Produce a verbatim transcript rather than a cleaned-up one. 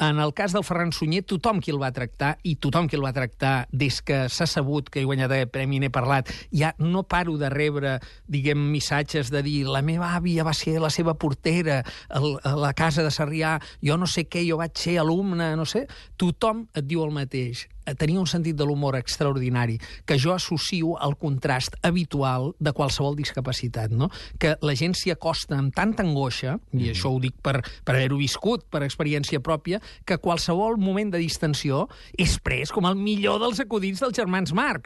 En el cas del Ferran Sunyer, tothom qui el va tractar, i tothom qui el va tractar des que s'ha sabut que he guanyat el premi n'he parlat, ja no paro de rebre, diguem, missatges de dir la meva àvia va ser la seva portera a la casa de Sarrià, jo no sé què, jo vaig ser alumne, no sé. Tothom et diu el mateix. Tenia un sentit de l'humor extraordinari, que jo associo al contrast habitual de qualsevol discapacitat, no? Que la gent s'hi acosta amb tanta angoixa, i això ho dic per, per haver-ho viscut, per experiència pròpia, que qualsevol moment de distensió és pres com el millor dels acudits dels germans Marx.